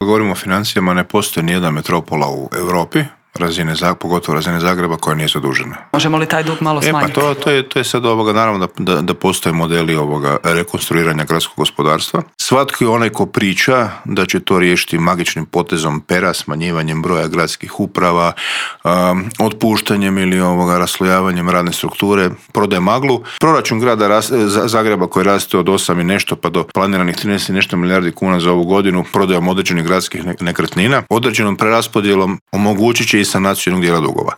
Govorimo o financijama, ne postoji nijedna metropola u Europi, pogotovo razine Zagreba, koja nije zadužena. Možemo li taj dug malo smanjiti? To je sad naravno da postoje modeli rekonstruiranja gradskog gospodarstva. Svatko onaj ko priča da će to riješiti magičnim potezom pera, smanjivanjem broja gradskih uprava, otpuštanjem ili raslojavanjem radne strukture, prodaje maglu. Proračun grada Zagreba koji raste od 8 i nešto pa do planiranih 13 i nešto milijardi kuna za ovu godinu, prodajom određenih gradskih nekretnina, određenom preraspodjelom omogućit će i sanaciju jednog dijela dugova.